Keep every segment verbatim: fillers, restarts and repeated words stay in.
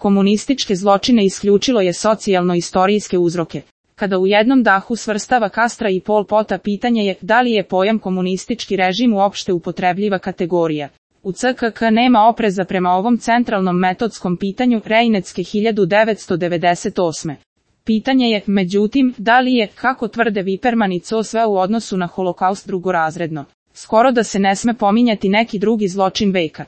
komunističke zločine isključilo je socijalno-istorijske uzroke. Kada u jednom dahu svrstava Castra i Pol Pota, pitanje je da li je pojam komunistički režim uopšte upotrebljiva kategorija. U C K K nema opreza prema ovom centralnom metodskom pitanju Reinecke hiljadu devetsto devedeset osme. Pitanje je, međutim, da li je, kako tvrde Wiperman i Co, sve u odnosu na holokaust drugorazredno. Skoro da se ne sme pominjati neki drugi zločin veka.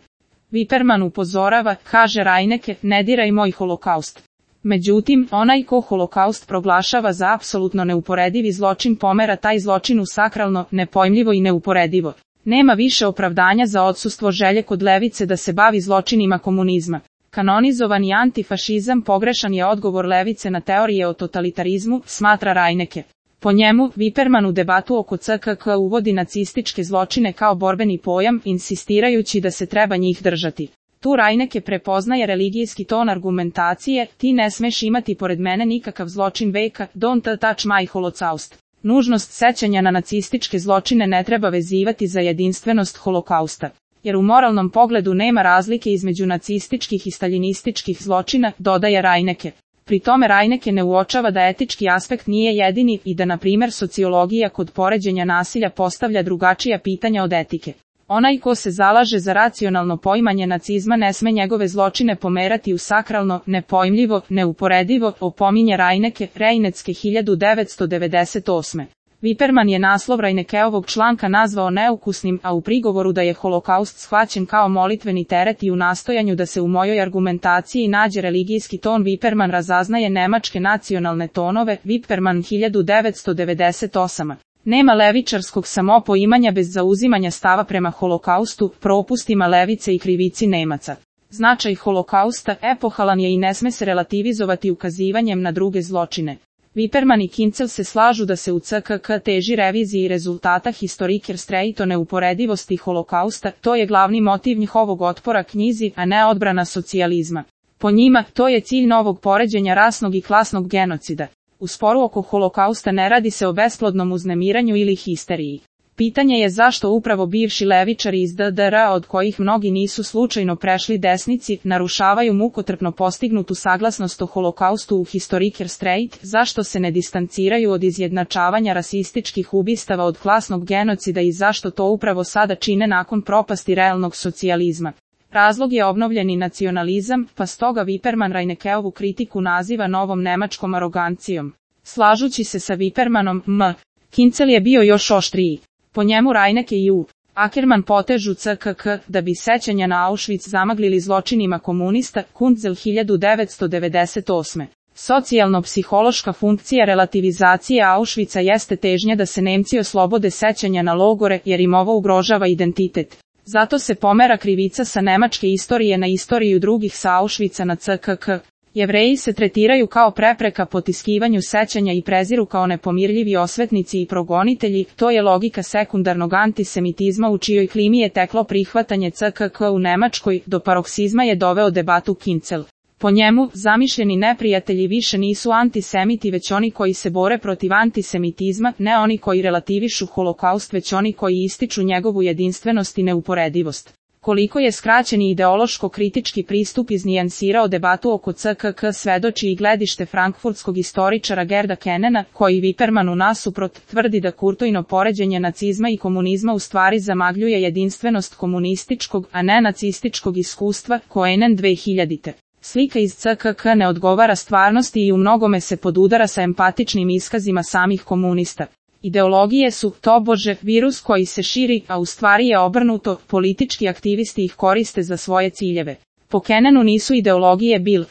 Wiperman upozorava, kaže Reinecke, ne diraj moj holokaust. Međutim, onaj ko holokaust proglašava za apsolutno neuporedivi zločin pomera taj zločin u sakralno, nepojmljivo i neuporedivo. Nema više opravdanja za odsustvo želje kod levice da se bavi zločinima komunizma. Kanonizovani antifašizam pogrešan je odgovor levice na teorije o totalitarizmu, smatra Reinecke. Po njemu, Wiperman u debatu oko C K K uvodi nacističke zločine kao borbeni pojam, insistirajući da se treba njih držati. Tu Reinecke prepoznaje religijski ton argumentacije, ti ne smeš imati pored mene nikakav zločin veka, don't touch my holocaust. Nužnost sećanja na nacističke zločine ne treba vezivati za jedinstvenost holokausta, jer u moralnom pogledu nema razlike između nacističkih i staljinističkih zločina, dodaje Reinecke. Pri tome Reinecke ne uočava da etički aspekt nije jedini i da, na primjer, sociologija kod poređenja nasilja postavlja drugačija pitanja od etike. Onaj ko se zalaže za racionalno poimanje nacizma ne sme njegove zločine pomerati u sakralno, nepojmljivo, neuporedivo, opominje Reinecke, Reinecke hiljadu devetsto devedeset osme. Wiperman je naslov Reineckeovog članka nazvao neukusnim, a u prigovoru da je holokaust shvaćen kao molitveni teret i u nastojanju da se u mojoj argumentaciji nađe religijski ton Wiperman razaznaje nemačke nacionalne tonove, Wiperman hiljadu devetsto devedeset osam. Nema levičarskog samopoimanja bez zauzimanja stava prema holokaustu, propustima levice i krivici Nemaca. Značaj holokausta epohalan je i ne sme se relativizovati ukazivanjem na druge zločine. Wiperman i Kincel se slažu da se u C K K teži reviziji rezultata Historikerstreit o neuporedivosti holokausta, to je glavni motiv njihovog otpora knjizi, a ne odbrana socijalizma. Po njima, to je cilj novog poređenja rasnog i klasnog genocida. U sporu oko holokausta ne radi se o besplodnom uznemiranju ili histeriji. Pitanje je zašto upravo bivši levičari iz D D R, od kojih mnogi nisu slučajno prešli desnici, narušavaju mukotrpno postignutu saglasnost o holokaustu u Historikerstreit, zašto se ne distanciraju od izjednačavanja rasističkih ubistava od klasnog genocida i zašto to upravo sada čine nakon propasti realnog socijalizma. Razlog je obnovljeni nacionalizam, pa stoga Wiperman Reineckeovu kritiku naziva novom nemačkom arogancijom. Slažući se sa Wipermanom, M. Kincel je bio još oštriji. Po njemu Reinecke i U. Ackerman potežu C K K da bi sećanja na Auschwitz zamaglili zločinima komunista, Kunzel hiljadu devetsto devedeset osme. Socijalno-psihološka funkcija relativizacije Auschwitza jeste težnja da se Nemci oslobode sećanja na logore, jer im ovo ugrožava identitet. Zato se pomera krivica sa nemačke istorije na istoriju drugih sa Auschwitza na C K K. Jevreji se tretiraju kao prepreka potiskivanju sećanja i preziru kao nepomirljivi osvetnici i progonitelji, to je logika sekundarnog antisemitizma u čijoj klimi je teklo prihvatanje C K K u Nemačkoj, do paroksizma je doveo debatu Kincel. Po njemu, zamišljeni neprijatelji više nisu antisemiti već oni koji se bore protiv antisemitizma, ne oni koji relativišu holokaust već oni koji ističu njegovu jedinstvenost i neuporedivost. Koliko je skraćeni ideološko-kritički pristup iznijansirao debatu oko C K K svedoči i gledište frankfurtskog istoričara Gerda Kennena, koji Wipermanu nasuprot tvrdi da kurtojno poređenje nacizma i komunizma u stvari zamagljuje jedinstvenost komunističkog, a ne nacističkog iskustva, Koenen dve hiljadite. Slika iz C K K ne odgovara stvarnosti i u mnogome se podudara sa empatičnim iskazima samih komunista. Ideologije su, tobože, virus koji se širi, a u stvari je obrnuto, politički aktivisti ih koriste za svoje ciljeve. Po Kennenu nisu ideologije bil,